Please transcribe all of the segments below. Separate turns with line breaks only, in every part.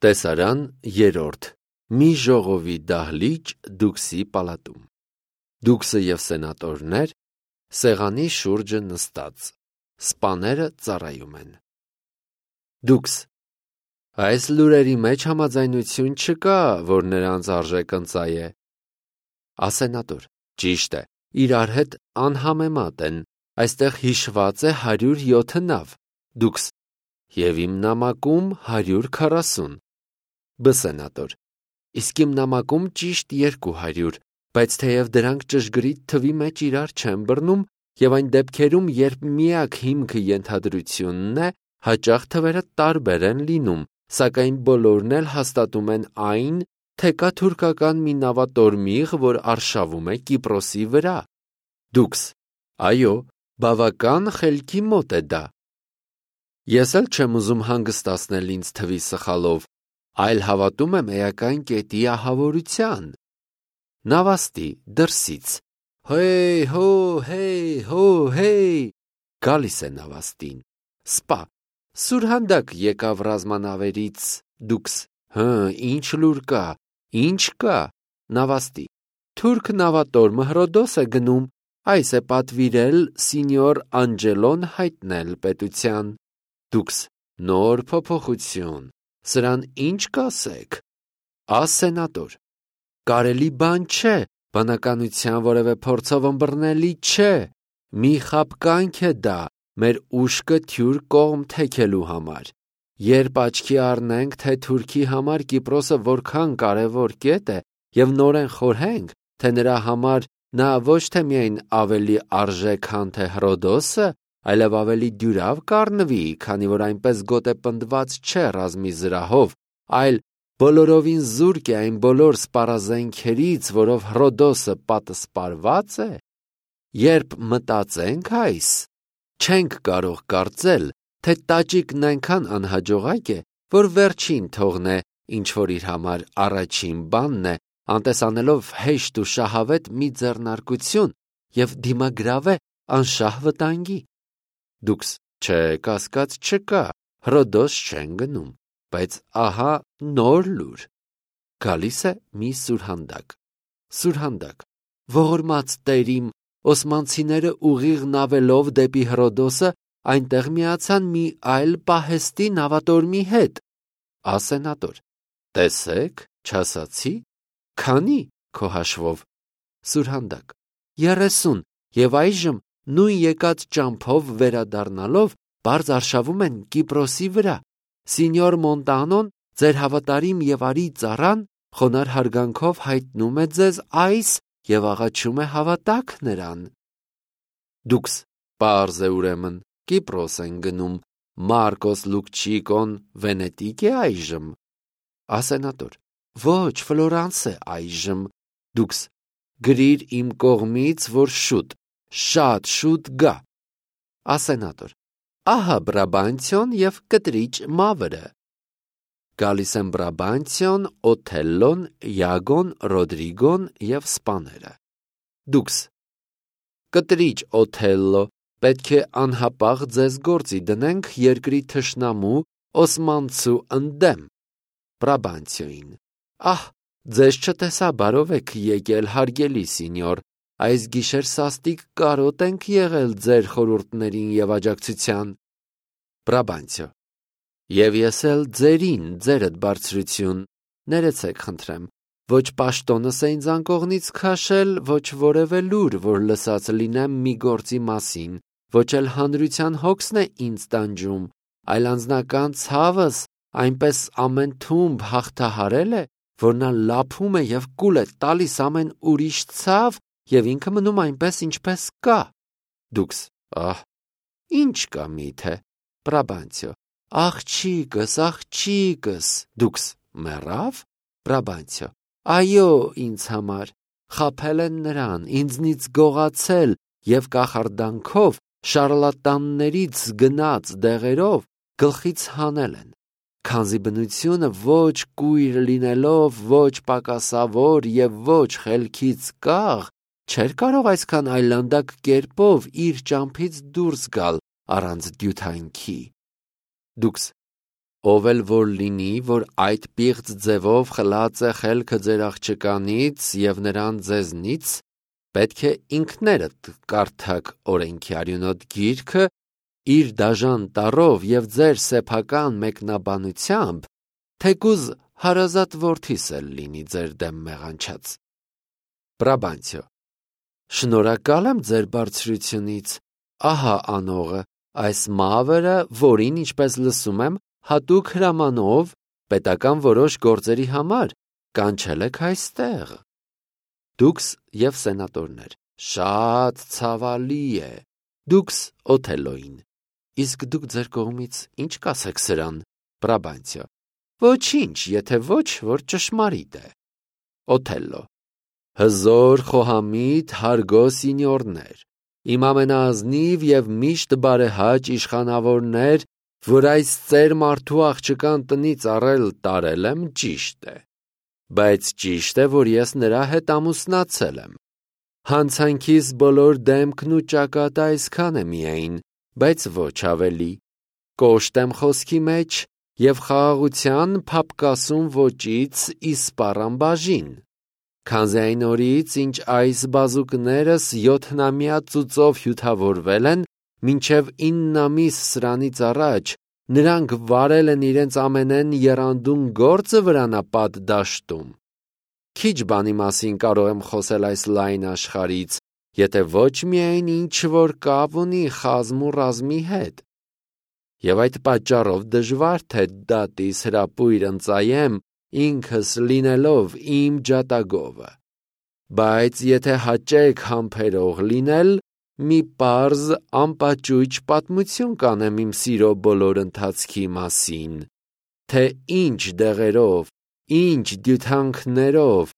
Տեսարան երրորդ. Մի ժողովի դահլիճ Դուքսի պալատում։ Դուքսը և սենատորներ սեղանի շուրջը նստած, սպաները ծառայում են։ Դուքս. այս լուրերի մեջ համաձայնություն չկա, որ նրանց արժեքը ընծայ է։ Ասենատոր. ճիշտ է, իրար հետ անհամեմատ են, այստեղ հիշված է 107 նավ։ Դուքս. և իմ նամակում 140։ Բսենատոր. իսկ իմ նամակում ճիշտ 200, բայց թեև դրանք ճշգրիտ թվի մեջ իրար չեն բռնում, և այն դեպքերում, երբ միակ հիմքը ենթադրությունն է, հաճախ թվերը տարբեր են լինում, սակայն բոլորն էլ հաստատում են այն, թե կա թուրքական մի նավատորմիղ, որ արշավում է Կիպրոսի վրա։ Դուքս. այո, բավական խելքի մոտ է դա։ Ես էլ չեմ ուզում հանգստացնել ինձ թվի սխալով, այլ հավատում եմ էական կետի ահավորության։ Նավաստի դրսից. հեյ հո, հեյ հո, հեյ, գալիս է նավաստին։ Սպա. սուրհանդակ եկավ ռազմանավերից։ Դուքս. ինչ լուր կա, ինչ կա։ Նավաստի. թուրք նավատորմը Հրոդոս է գնում, այս է պատվիրել սինյոր Անջելոն հայտնել պետության։ Դուքս. նոր փոփոխություն, սրան ինչ կասեք։ Ասենատոր. կարելի բան չէ, բանականության որևէ փորձով ըմբռնելի չէ, մի խաբկանք է դա, մեր ուշքը թյուր կողմ թեքելու համար։ Երբ աչքի առնենք, թե Թուրքի համար Կիպրոսը որքան կարևոր կետ է, և նորեն խորհենք, թե նրա համար նա ոչ թե միայն ավելի արժե, քան թե Հրոդոսը, այլև ավելի դյուրավ կառնվի, քանի որ այնպես գոտեպնդված չէ ռազմի զրահով, այլ բոլորովին զուրկ է այն բոլոր սպառազենքերից, որով Հրոդոսը պատսպարված է։ Երբ մտածենք այս, չենք կարող կարծել, թե տաճիկն այնքան անհաջողակ է, որ վերջին թողնե, ինչ որ իր համար առաջին բանն է, անտեսանելով հեշտ ու շահավետ մի ձեռնարկություն և դիմագրավե անշահ վտանգի։ Դուքս. չէ, կասկած չկա, Հրոդոս չեն գնում, բայց ահա նոր լուր։ Գալիս է մի սուրհանդակ։ Սուրհանդակ. ողորմած տերիմ, օսմանցիները ուղիղ նավելով դեպի Հրոդոսը այնտեղ միացան մի այլ պահեստի նավատորմի հետ։ Ասենատոր. տեսեք, չասացի, քանի քո հաշվով։ Սուրհանդակ. 30, և այժմ նույն եկած ճամփով վերադառնալով բարձ արշավում են Կիպրոսի վրա։ Սինյոր Մոնտանոն, ձեր հավատարիմ և արի ծառան, խոնարհ հարգանքով հայտնում է ձեզ այս և աղաչում է հավատաք նրան։ Դուքս. պարզ է ուրեմն, Կիպրոս են գնում, Մարկոս Լուկչիկոն Վենետիկ է այժմ։ Ասենատոր. ոչ, Ֆլորանս է այժմ։ Դուքս. գրիր իմ կողմից, որ շուտ, շատ շուտ գա։ Ասենատոր. ահա Բրաբանցիոն և կտրիճ Մավրը։ Գալիս են Բրաբանցիոն, Օթելլոն, Յագոն, Ռոդրիգոն և սպաները։ Դուքս. կտրիճ Օթելլո, պետք է անհապաղ ձեզ գործի դնենք երկրի թշնամու Օսմանցու ընդդեմ։ Բրաբանցիոին. ահ, ձեզ չտեսա, բարով եք եկել, հարգելի սինյոր, այս գիշեր սաստիկ կարոտ ենք եղել ձեր խորհուրդներին և աջակցության։ Բրաբանցիո. և ես էլ ձերին, ձերդ բարձրություն, ներեցեք խնդրեմ, ոչ պաշտոնս է ինձ անկողնից քաշել, ոչ որևէ լուր, որ լսած լինեմ մի գործի մասին, ոչ էլ հանրության հոգսն է ինձ տանջում, այլ անձնական ցավս այնպես ամեն թումբ հաղթահարել է, որ նա լափում է և կուլ է տալիս ամեն ուրիշ ցավ և ինքը մնում այնպես, ինչպես կա։ Դուքս. ահ, ինչ կա միթե։ Բրաբանցիո. աղջիկս, աղջիկս։ Դուքս. մեռավ։ Բրաբանցիո. այո, ինձ համար, խաբել են նրան, ինձնից գողացել և կախարդանքով, շառլատաններից գնած դեղերով գլխից հանել են, քանզի բնությունը ոչ կույր լինելով, ոչ պակասավոր և ոչ խելքից կաղ, չէր կարող այսքան այլանդակ կերպով իր ճամփից դուրս գալ առանց դյութանքի։ Դուքս. ով էլ որ լինի, որ այդ պիղծ ձևով խլած է խելքը ձեր աղջկանից և նրան ձեզնից, պետք է ինքներդ կարդաք օրենքի արյունոտ գիրքը իր դաժան տառով և ձեր սեփական մեկնաբանությամբ, թեկուզ հարազատ որդիս էլ լինի ձեր դեմ մեղանչած։ Բրաբանցիո. Շնորհակալ եմ ձեր բարձրությունից, ահա անողը, այս մավրը, որին, ինչպես լսում եմ, հատուկ հրամանով պետական որոշ գործերի համար կանչել եք այստեղ։ Դուքս և սենատորներ. Շատ ցավալի է։ Դուքս Օթելլոին. Իսկ դուք ձեր կողմից ինչ կասեք սրան։ Բրաբանցիո. Ոչինչ, եթե ոչ, որ ճշմարիտ է։ Օթելլո. Հզոր խոհամիտ հարգո սինյորներ, իմ ամենաազնիվ և միշտ բարեհաճ իշխանավորներ, որ այս ծեր մարդու աղջկան տնից առել տարել եմ, ճիշտ է, բայց ճիշտ է, որ ես նրա հետ ամուսնացել եմ։ Հանցանքիս բոլոր դեմքն ու ճակատը այսքան է միայն, բայց ոչ ավելի։ Կոշտ եմ խոսքի մեջ և խաղաղության փափկասուն ոճից իսպառ բաժին։ Քանզի այն օրից, ինչ այս բազուկներս 7-ամյա ծուծով հյութավորվել են, մինչև 9 ամիս սրանից առաջ, նրանք վարել են իրենց ամենեն եռանդուն գործը վրանապատ դաշտում։ Քիչ բանի մասին կարող եմ խոսել այս լայն աշխարհից, եթե ոչ միայն ինչ-որ կապ ունի խազմ ու ռազմի հետ։ Եվ այդ պատճառով դժվար թե դատիս հրապույր ընծայեմ ինքս լինելով իմ ջատագովը։ Բայց եթե հաճեք համբերող լինել, մի պարզ անպաճույճ պատմություն կանեմ իմ սիրո բոլոր ընթացքի մասին, թե ինչ դեղերով, ինչ դյութանքներով,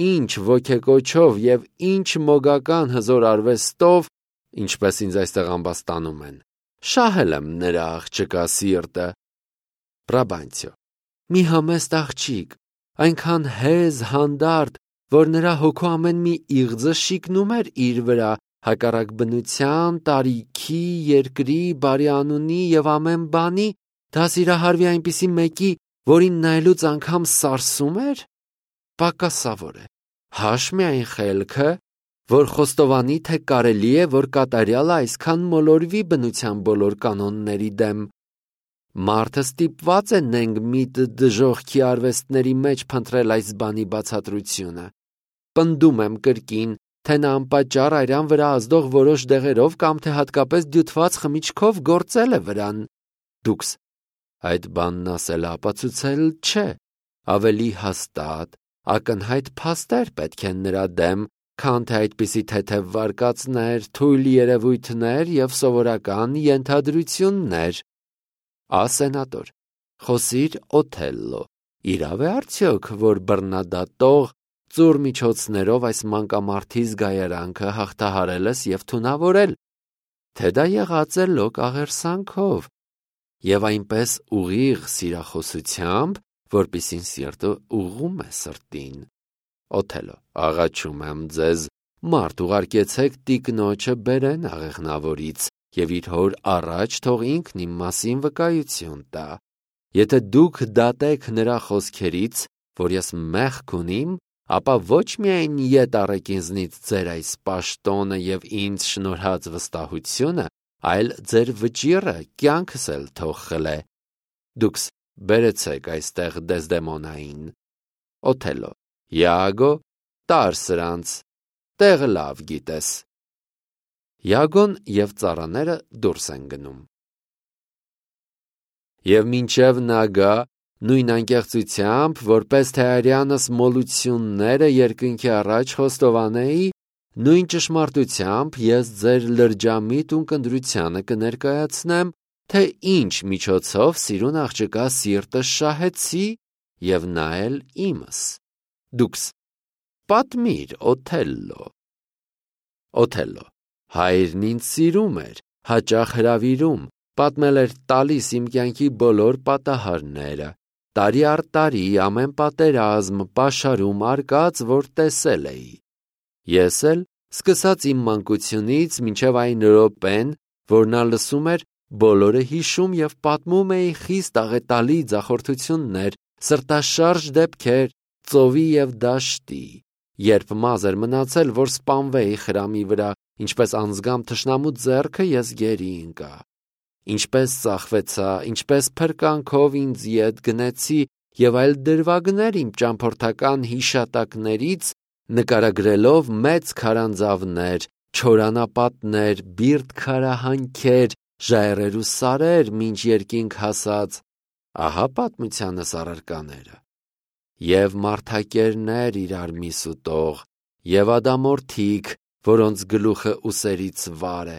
ինչ ոգեկոչով և ինչ մոգական հզոր արվեստով, ինչպես ինձ այստեղ ամբաստանում են, շահել եմ նրա աղջկա սիրտը։ Բրաբանցիո. մի համեստ աղջիկ, այնքան հեզ, հանդարտ, որ նրա հոգու ամեն մի իղձը շիկնում էր իր վրա, հակառակ բնության, տարիքի, երկրի, բարի անունի և ամեն բանի, դա սիրահարվի այնպիսի մեկի, որին նայելուց անգամ սարսում էր, պակասավոր է։ Հաշմի այն խելքը, որ խոստովանի, թե կարելի է, որ կատարյալը այսքան մոլորվի բնության բոլոր կանոնների դեմ։ Մարդը ստիպված է նենգ միտ դժոխքի արվեստների մեջ փնտրել այս բանի բացատրությունը։ Պնդում եմ կրկին, թե նա անպատճառ արյան վրա ազդող որոշ դեղերով կամ թե հատկապես դյութված խմիչքով գործել է վրան։ Դուքս այդ բանն ասելը ապացուցել չէ, ավելի հաստատ, ակնհայտ փաստեր պետք են նրա դեմ, քան թե այդպիսի թեթև վարկածներ, թույլ երևույթներ և սովորական ենթադրություններ։ Սենատոր, խոսիր Օթելլո, իրավ է արդյոք, որ բռնադատող ծուռ միջոցներով այս մանկամարդի զգայարանքը հաղթահարել ես և թունավորել, թե դա եղած է լոկ աղերսանքով և այնպես ուղիղ սիրախոսությամբ, որպիսին սիրտը ուղղում է սրտին։ Օթելլո, աղաչում եմ ձեզ, մարդ ուղարկեցեք տիկնոջը բերեն աղեղնավորից և իր հոր առաջ թող ինքն իմ մասին վկայություն տա։ Եթե դուք դատեք նրա խոսքերից, որ ես մեղք ունիմ, ապա ոչ միայն ետ առեք ինձնից ձեր այս պաշտոնը և ինձ շնորհած վստահությունը, այլ ձեր վճիռը կյանքս էլ թող խլե։ Դուքս բերեցեք այստեղ Դեզդեմոնային։ Օթելլո, Յագո, տար սրանց, տեղը լավ գիտես։ Յագոն և ծառաները դուրս են գնում։ Եվ մինչև նա գա, նույն անկեղծությամբ, որպես թե արյանս մոլությունները երկնքի առաջ խոստովանեի, նույն ճշմարտությամբ ես ձեր լրջամիտ ունկնդրությանը կներկայացնեմ, թե ինչ միջոցով սիրուն աղջկա սիրտը շահեցի և նա էլ իմս։ Դուքս պատմիր Օթելլո։ Օթելլո, հայրն ինձ սիրում էր, հաճախ հրավիրում, պատմել էր տալիս իմ կյանքի բոլոր պատահարները, տարի առ տարի ամեն պատերազմ, պաշարում արկած, որ տեսել էի։ Ես էլ, սկսած իմ մանկությունից մինչև այն րոպեն, որ նա լսում էր, Բոլորը հիշում և պատմում էի խիստ աղետալի ձախորդություններ, սրտաշարժ դեպքեր, ծովի և դաշտի, երբ մազ էր մնացել, որ սպանվեի խրամի վրա, ինչպես անձգամ թշնամու ձեռքը ես գերի ընկա, ինչպես ծախվեցա, ինչպես փրկանքով ինձ ետ գնեցի և այլ դրվագներ իմ ճամփորդական հիշատակներից, նկարագրելով մեծ քարանձավներ, չորանապատներ, բիրտ քարահանքեր, ժայռեր ու սարեր, մինչ երկինք հասած, ահա պատմությանս առարկաները, և մարդակերներ իրար միս ուտող, և ադամորդիկ, որոնց գլուխը ուսերից վար է,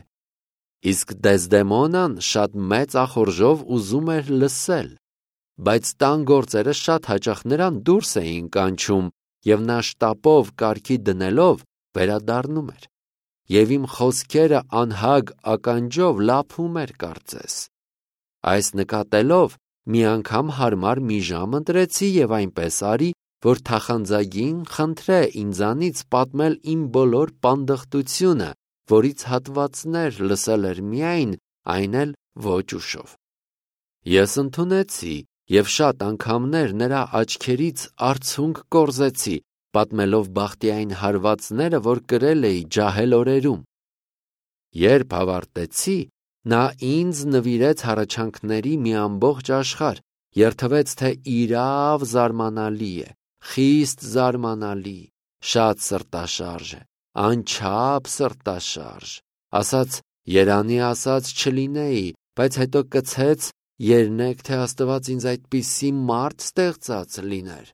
իսկ Դեզդեմոնան շատ մեծ ախորժով ուզում էր լսել, բայց տան գործերը շատ հաճախ նրան դուրս էին կանչում, և նա շտապով կարգի դնելով վերադառնում էր, և իմ խոսքերը անհագ ականջով լափում էր կարծես, այս նկատելով մի անգամ հարմար մի ժամ ընտրեցի և այնպես արի, որ թախանձագին խնդրե ինձանից պատմել իմ բոլոր պանդխտությունը, որից հատվածներ լսել էր միայն, այն էլ ոչ ուշով։ Ես ընդունեցի և շատ անգամներ նրա աչքերից արցունք կորզեցի, պատմելով բախտի այն հարվածները, որ կրել էի ջահել օրերում։ Երբ ավարտեցի, նա ինձ նվիրեց հառաչանքների մի ամբողջ աշխարհ, երդվեց, թե իրավ զարմանալի է, խիստ զարմանալի, շատ սրտաշարժ է, անչափ սրտաշարժ, ասաց երանի ասած չլինեի, բայց հետո կցեց, երնեք, թե Աստված ինձ այդպիսի մարդ ստեղծած լիներ,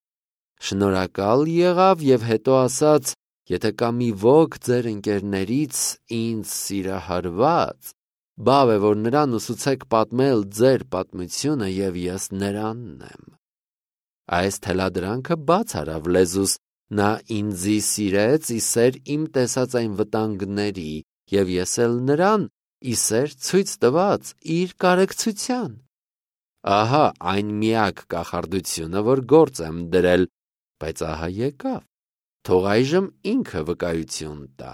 շնորհակալ եղավ և հետո ասաց, եթե կա մի ոք ձեր ընկերներից ինձ սիրահարված, բավ է, որ նրան ուսուցեք պատմել ձեր պատմությունը և ես նրանն եմ։ Այս թելադրանքը բաց արավ լեզուս, նա ինձի սիրեց իսեր իմ տեսած այն վտանգների և ես էլ նրան իսեր ցույց տված իր կարեկցության։ Ահա այն միակ կախարդությունը, որ գործ եմ դրել, բայց ահա եկավ, թող այժմ ինքը վկայություն տա։